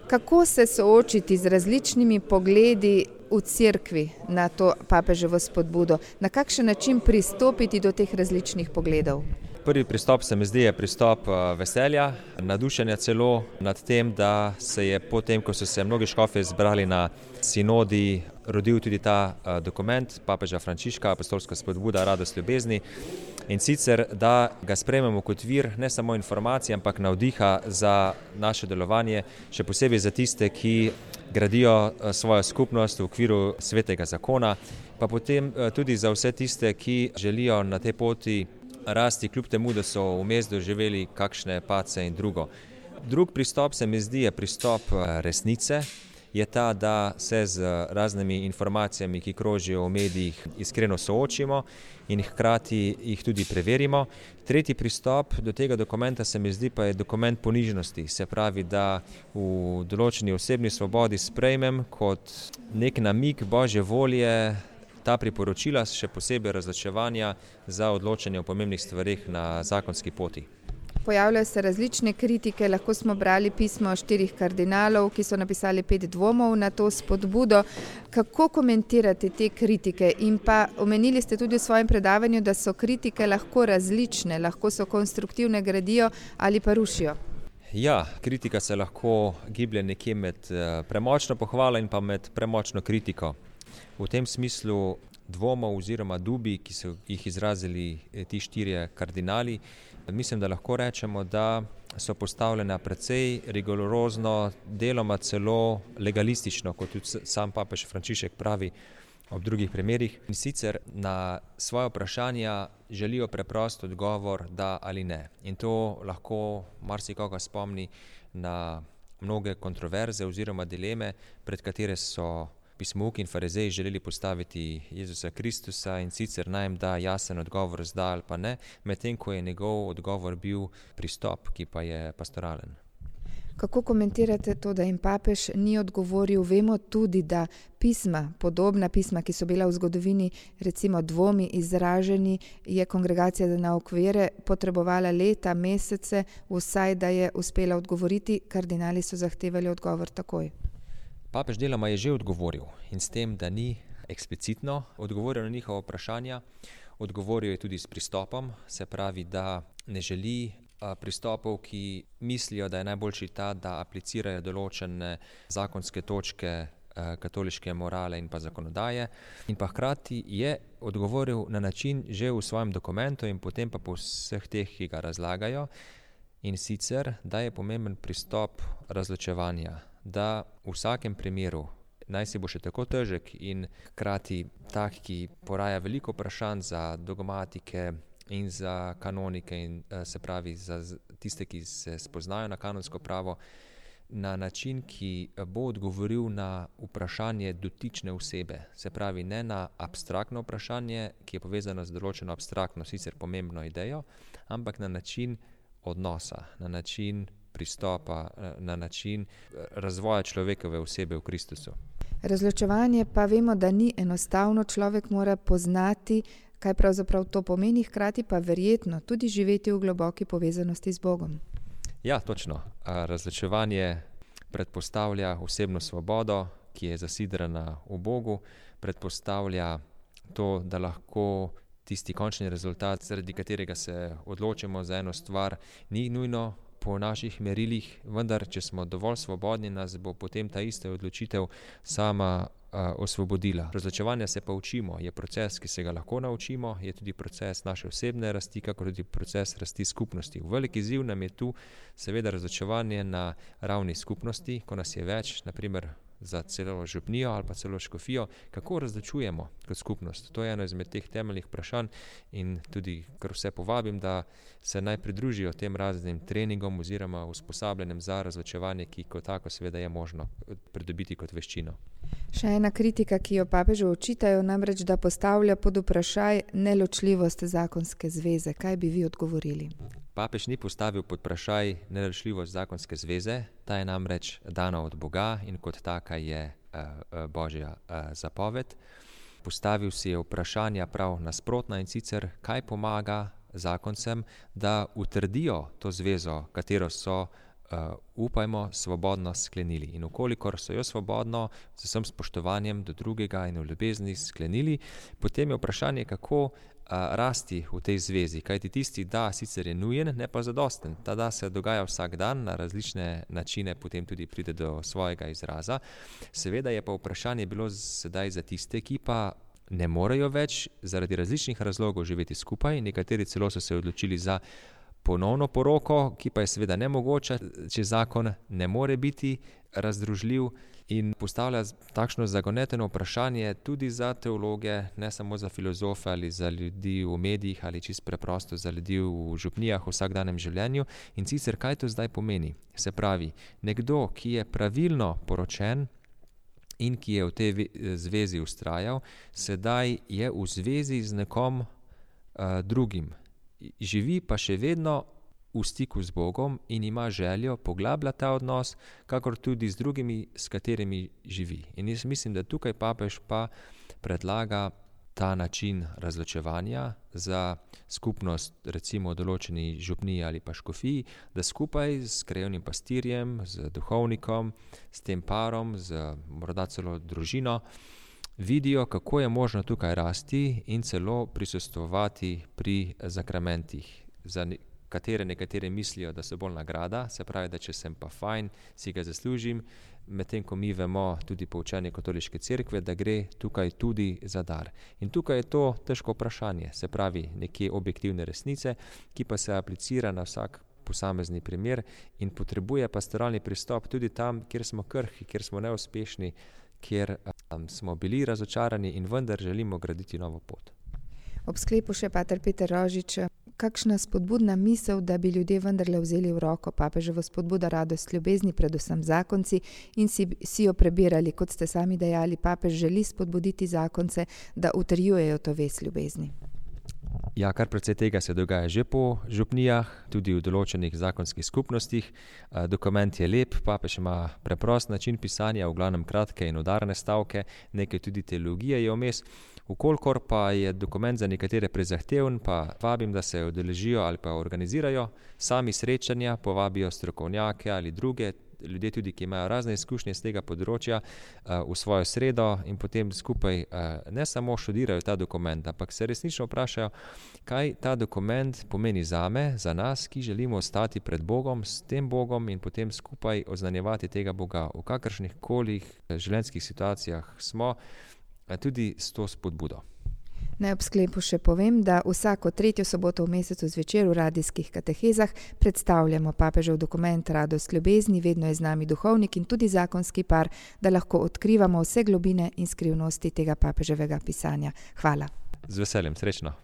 Kako se soočiti z različnimi pogledi v cerkvi na to papeževo spodbudo? Na kakšen način pristopiti do teh različnih pogledov? Prvi pristop se mi zdi je pristop veselja, nadušenja celo nad tem, da se je potem, ko so se mnogi škofje zbrali na sinodi, rodil tudi ta dokument papeža Frančiška, apostolska spodbuda Radost ljubezni. In sicer, da ga sprejmemo kot vir ne samo informacij, ampak navdiha za naše delovanje, še posebej za tiste, ki gradijo svojo skupnost v okviru svetega zakona, pa potem tudi za vse tiste, ki želijo na tej poti rasti, kljub temu, da so vmes doživeli kakšne padce in drugo. Drug pristop se mi zdi je pristop resnice, je ta, da se z raznimi informacijami, ki krožijo v medijih, iskreno soočimo in hkrati jih tudi preverimo. Tretji pristop do tega dokumenta se mi zdi pa je dokument ponižnosti, se pravi, da v določeni osebni svobodi sprejmem kot nek namig Božje volje ta priporočila, še posebej razločevanja za odločanje o pomembnih stvareh na zakonski poti. Pojavljajo se različne kritike, lahko smo brali pismo 4 kardinalov, ki so napisali 5 dvomov na to spodbudo. Kako komentirate te kritike? In pa omenili ste tudi v svojem predavanju, da so kritike lahko različne, lahko so konstruktivne, gradijo ali pa rušijo. Ja, kritika se lahko giblje nekje med premočno pohvalo in pa med premočno kritiko. V tem smislu dvomov oziroma dubi, ki so jih izrazili ti 4 kardinali, mislim, da lahko rečemo, da so postavljena precej rigorozno, deloma celo legalistično, kot tudi sam papež Frančišek pravi ob drugih primerih. In sicer na svoje vprašanja želijo preprost odgovor da ali ne. In to lahko marsikoga spomni na mnoge kontroverze oziroma dileme, pred katere so pismouki in farizeji želeli postaviti Jezusa Kristusa, in sicer naj jim da jasen odgovor z da ali pa ne, medtem ko je njegov odgovor bil pristop, ki pa je pastoralen. Kako komentirate to, da jim papež ni odgovoril? Vemo tudi, da pisma, podobna pisma, ki so bila v zgodovini recimo dvomi izraženi, je kongregacija za nauk vere potrebovala leta, mesece, vsaj da je uspela odgovoriti. Kardinali so zahtevali odgovor takoj. Papež deloma je že odgovoril in s tem, da ni eksplicitno odgovoril na njihova vprašanja, odgovoril je tudi s pristopom, se pravi, da ne želi pristopov, ki mislijo, da je najboljši ta, da aplicirajo določene zakonske točke katoliške morale in pa zakonodaje, in pa hkrati je odgovoril na način že v svojem dokumentu in potem pa po vseh teh, ki ga razlagajo, in sicer, da je pomemben pristop razločevanja, da v vsakem primeru, naj si bo še tako težek in hkrati tak, ki poraja veliko vprašanj za dogmatike in za kanonike in se pravi za tiste, ki se spoznajo na kanonsko pravo, na način, ki bo odgovoril na vprašanje dotične osebe. Se pravi, ne na abstraktno vprašanje, ki je povezano z določeno abstraktno, sicer pomembno idejo, ampak na način odnosa, na način pristopa, na način razvoja človekove osebe v Kristusu. Razločevanje pa vemo, da ni enostavno, človek mora poznati, kaj pravzaprav to pomeni, hkrati pa verjetno tudi živeti v globoki povezanosti z Bogom. Ja, točno. Razločevanje predpostavlja osebno svobodo, ki je zasidrana v Bogu, predpostavlja to, da lahko tisti končni rezultat, zaradi katerega se odločimo za eno stvar, ni nujno po naših merilih, vendar če smo dovolj svobodni, nas bo potem ta ista odločitev sama osvobodila. Razločevanja se pa učimo, je proces, ki se ga lahko naučimo, je tudi proces naše osebne rasti, kakor tudi proces rasti skupnosti. Veliki izziv nam je tu seveda razločevanje na ravni skupnosti, ko nas je več, na primer za celo župnijo ali pa celo škofijo, kako razločujemo kot skupnost. To je eno izmed teh temeljnih vprašanj in tudi kar vse povabim, da se naj pridružijo tem raznim treningom oziroma usposabljanjem za razločevanje, ki kot tako seveda je možno pridobiti kot veščino. Še ena kritika, ki jo papežu očitajo, namreč, da postavlja pod vprašaj neločljivost zakonske zveze. Kaj bi vi odgovorili? Papež ni postavil pod vprašaj neločljivost zakonske zveze, ta je namreč dana od Boga in kot taka je Božja zapoved. Postavil si je vprašanja prav nasprotna, in sicer kaj pomaga zakoncem, da utrdijo to zvezo, katero so upajmo, svobodno sklenili. In ukolikor so jo svobodno, z vsem spoštovanjem do drugega in v ljubezni sklenili, potem je vprašanje, kako rasti v tej zvezi. Kajti tisti da sicer je nujen, ne pa zadosten. Ta da se dogaja vsak dan, na različne načine potem tudi pride do svojega izraza. Seveda je pa vprašanje bilo sedaj za tiste, ki pa ne morejo več zaradi različnih razlogov živeti skupaj. Nekateri celo so se odločili za ponovno poroko, ki pa je seveda nemogoča, če zakon ne more biti razdružljiv in postavlja takšno zagoneteno vprašanje tudi za teologe, ne samo za filozofe ali za ljudi v medijih ali čisto preprosto za ljudi v župnijah v vsakdanjem življenju. In sicer, kaj to zdaj pomeni? Se pravi, nekdo, ki je pravilno poročen in ki je v tej zvezi vztrajal, sedaj je v zvezi z nekom drugim. Živi pa še vedno v stiku z Bogom in ima željo poglabljati ta odnos, kakor tudi z drugimi, s katerimi živi. In jaz mislim, da tukaj papež pa predlaga ta način razločevanja za skupnost, recimo določeni župniji ali pa škofiji, da skupaj s krajevnim pastirjem, z duhovnikom, s tem parom, z morda celo družino, vidijo, kako je možno tukaj rasti in celo prisustvovati pri zakramentih, za katere nekateri mislijo, da so bolj nagrada, se pravi, da če sem pa fajn, si ga zaslužim, medtem ko mi vemo tudi po učenju katoliške cerkve, da gre tukaj tudi za dar. In tukaj je to težko vprašanje, se pravi nekje objektivne resnice, ki pa se aplicira na vsak posamezni primer in potrebuje pastoralni pristop tudi tam, kjer smo krhki, kjer smo neuspešni, kjer smo bili razočarani in vendar želimo graditi novo pot. Ob sklepu še pater Peter Rožič, kakšna spodbudna misel, da bi ljudje vendarle vzeli v roko papeževo spodbudo radost ljubezni, predvsem zakonci, in si jo prebirali, kot ste sami dejali, papež želi spodbuditi zakonce, da utrjujejo to vez ljubezni. Ja, kar precej tega se dogaja že po župnijah, tudi v določenih zakonskih skupnostih. Dokument je lep, papež ima preprost način pisanja, v glavnem kratke in udarne stavke, nekaj tudi teologije je vmes. Vkolikor pa je dokument za nekatere prezahteven, pa vabim, da se udeležijo ali pa organizirajo sami srečanja, povabijo strokovnjake ali druge, ljudje tudi, ki imajo razne izkušnje z tega področja, v svojo sredo in potem skupaj ne samo študirajo ta dokument, ampak se resnično vprašajo, kaj ta dokument pomeni zame, za nas, ki želimo ostati pred Bogom, s tem Bogom in potem skupaj oznanjevati tega Boga v kakršnih koli življenjskih situacijah smo, tudi s to spodbudo. Naj ob sklepu še povem, da vsako 3. soboto v mesecu zvečer v radijskih katehezah predstavljamo papežev dokument Radost ljubezni, vedno je z nami duhovnik in tudi zakonski par, da lahko odkrivamo vse globine in skrivnosti tega papeževega pisanja. Hvala. Z veseljem, srečno.